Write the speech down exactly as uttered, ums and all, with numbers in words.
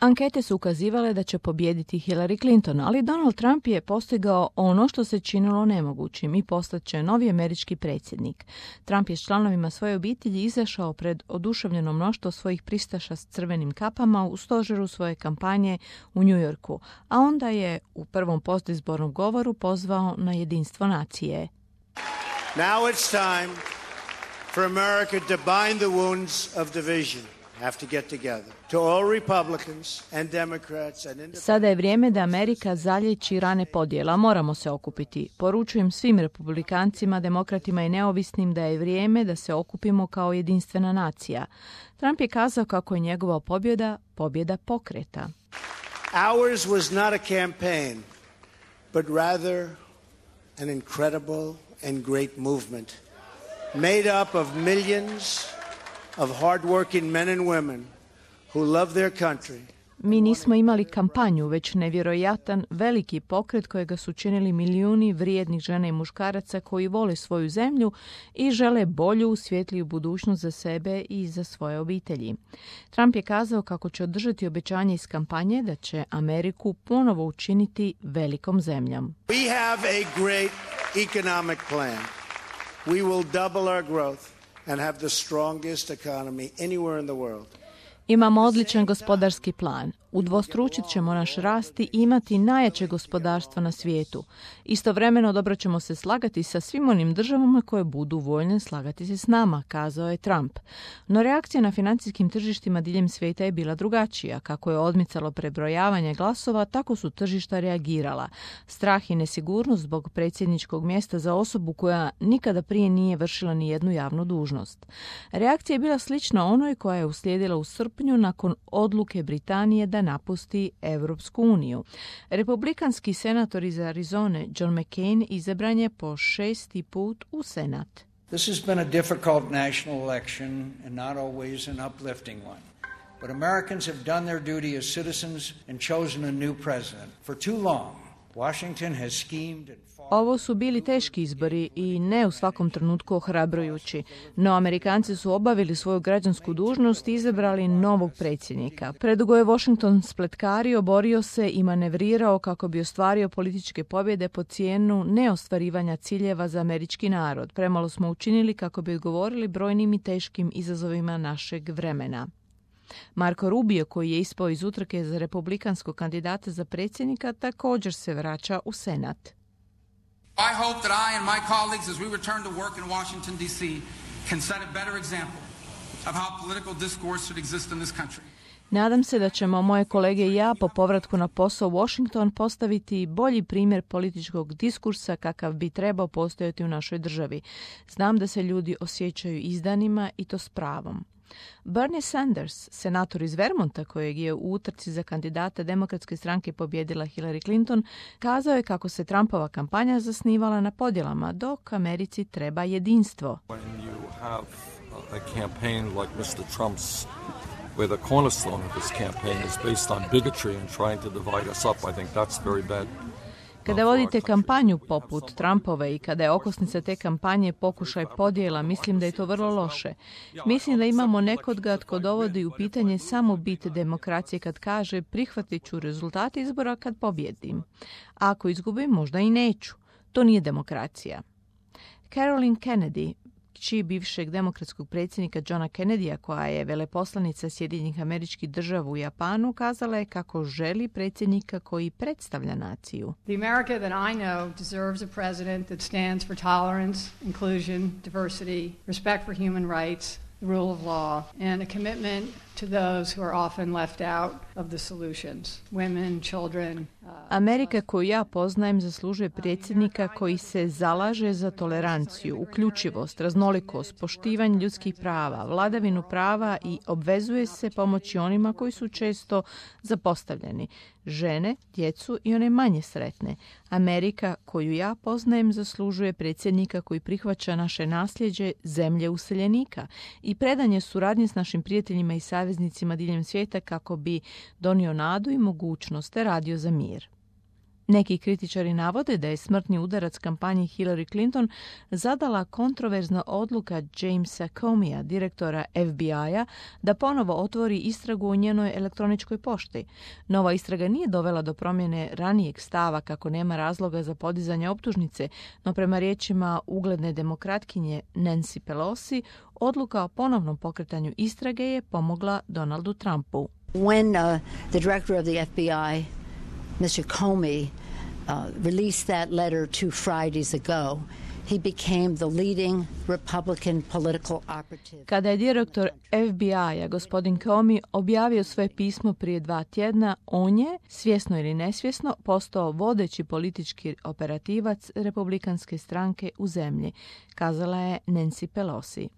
Ankete su ukazivale da će pobijediti Hillary Clinton, ali Donald Trump je postigao ono što se činilo nemogućim i postaće novi američki predsjednik. Trump je s članovima svoje obitelji izašao pred oduševljeno mnoštvo svojih pristaša s crvenim kapama u stožeru svoje kampanje u New Yorku, a onda je u prvom postizbornom govoru pozvao na jedinstvo nacije. Now it's time for America to bind the wounds of division. Have to get together. To all Republicans and Democrats and independents. Sada je vrijeme da Amerika zalječi rane podjela. Moramo se okupiti. Poručujem svim republikancima, demokratima i neovisnim da je vrijeme da se okupimo kao jedinstvena nacija. Trump je kazao kako je njegova pobjeda pobjeda pokreta. Ours was not a campaign, but rather an incredible and great movement made up of millions of hard-working men and women who love their country. Mi nismo imali kampanju, već nevjerojatan veliki pokret kojega su činili milijuni vrijednih žena i muškaraca koji vole svoju zemlju i žele bolju, svjetliju budućnost za sebe i za svoje obitelji. Trump je kazao kako će održati obećanje iz kampanje da će Ameriku ponovo učiniti velikom zemljom. We have a great economic plan. We will double our growth and have the strongest economy anywhere in the world. Imamo odličan gospodarski plan. Udvostručit ćemo naš rast i imati najjače gospodarstvo na svijetu. Istovremeno dobro ćemo se slagati sa svim onim državama koje budu voljne slagati se s nama, kazao je Trump. No reakcija na financijskim tržištima diljem svijeta je bila drugačija. Kako je odmicalo prebrojavanje glasova, tako su tržišta reagirala. Strah i nesigurnost zbog predsjedničkog mjesta za osobu koja nikada prije nije vršila ni jednu javnu dužnost. Reakcija je bila slična onoj koja je uslijedila u srpnju nakon odluke Britanije da napusti Europsku uniju. Republikanski senator iz Arizone John McCain izabran je po šesti put u Senat. This has been a difficult national election and not always an uplifting one. But Americans have done their duty as citizens and chosen a new president. For too long, Washington has schemed and Ovo su bili teški izbori i ne u svakom trenutku ohrabrujući, no Amerikanci su obavili svoju građansku dužnost i izabrali novog predsjednika. Predugo je Washington spletkario, borio se i manevrirao kako bi ostvario političke pobjede po cijenu neostvarivanja ciljeva za američki narod. Premalo smo učinili kako bi odgovorili brojnim i teškim izazovima našeg vremena. Marco Rubio, koji je ispao iz utrke za republikanskog kandidata za predsjednika, također se vraća u Senat. I hope that I and my colleagues, as we return to work in Washington, D C, can set a better example of how political discourse should exist in this country. Nadam se da ćemo moje kolege i ja po povratku na posao u Washington postaviti bolji primjer političkog diskursa kakav bi trebao postojati u našoj državi. Znam da se ljudi osjećaju izdanima i to s pravom. Bernie Sanders, senator iz Vermonta kojeg je u utrci za kandidata Demokratske stranke pobjedila Hillary Clinton, kazao je kako se Trumpova kampanja zasnivala na podjelama, dok Americi treba jedinstvo. When you have a campaign like mister Trump's, where the cornerstone of his campaign is based on bigotry and trying to divide us up, I think that's very bad. Kada vodite kampanju poput Trumpove i kada je okosnica te kampanje pokušaj podjela, mislim da je to vrlo loše. Mislim da imamo nekoga tko dovodi u pitanje samo bit demokracije kad kaže prihvatit ću rezultate izbora kad pobjedim. A ako izgubim, možda i neću. To nije demokracija. Caroline Kennedy, kći bivšeg demokratskog predsjednika Johna Kennedya, koja je veleposlanica Sjedinjenih Američkih Država u Japanu, kazala je kako želi predsjednika koji predstavlja naciju. The America that I know deserves a president that stands for tolerance, inclusion, diversity, respect for human rights, the rule of law, and a commitment to those who are often left out of the solutions, women, children. Amerika koju ja poznajem zaslužuje predsjednika koji se zalaže za toleranciju, uključivost, raznolikost, poštivanje ljudskih prava, vladavinu prava i obvezuje se pomoći onima koji su često zapostavljeni, žene, djecu i one manje sretne. Amerika koju ja poznajem zaslužuje predsjednika koji prihvaća naše nasljeđe zemlje useljenika i predanje suradnje s našim prijateljima i saveznicima diljem svijeta kako bi donio nadu i mogućnost te radio za mir. Neki kritičari navode da je smrtni udarac kampanji Hillary Clinton zadala kontroverzna odluka Jamesa Comeyja, direktora F B I-a, da ponovo otvori istragu o njenoj elektroničkoj pošti. Nova istraga nije dovela do promjene ranijeg stava kako nema razloga za podizanje optužnice, no prema riječima ugledne demokratkinje Nancy Pelosi, odluka o ponovnom pokretanju istrage je pomogla Donaldu Trumpu. When uh, the director of the F B I, Mister Comey, uh, released that letter two Fridays ago, he became the leading Republican political operative. Kada je direktor F B I-a, gospodin Comey, objavio svoje pismo prije dva tjedna, on je, svjesno ili nesvjesno, postao vodeći politički operativac republikanske stranke u zemlji, kazala je Nancy Pelosi.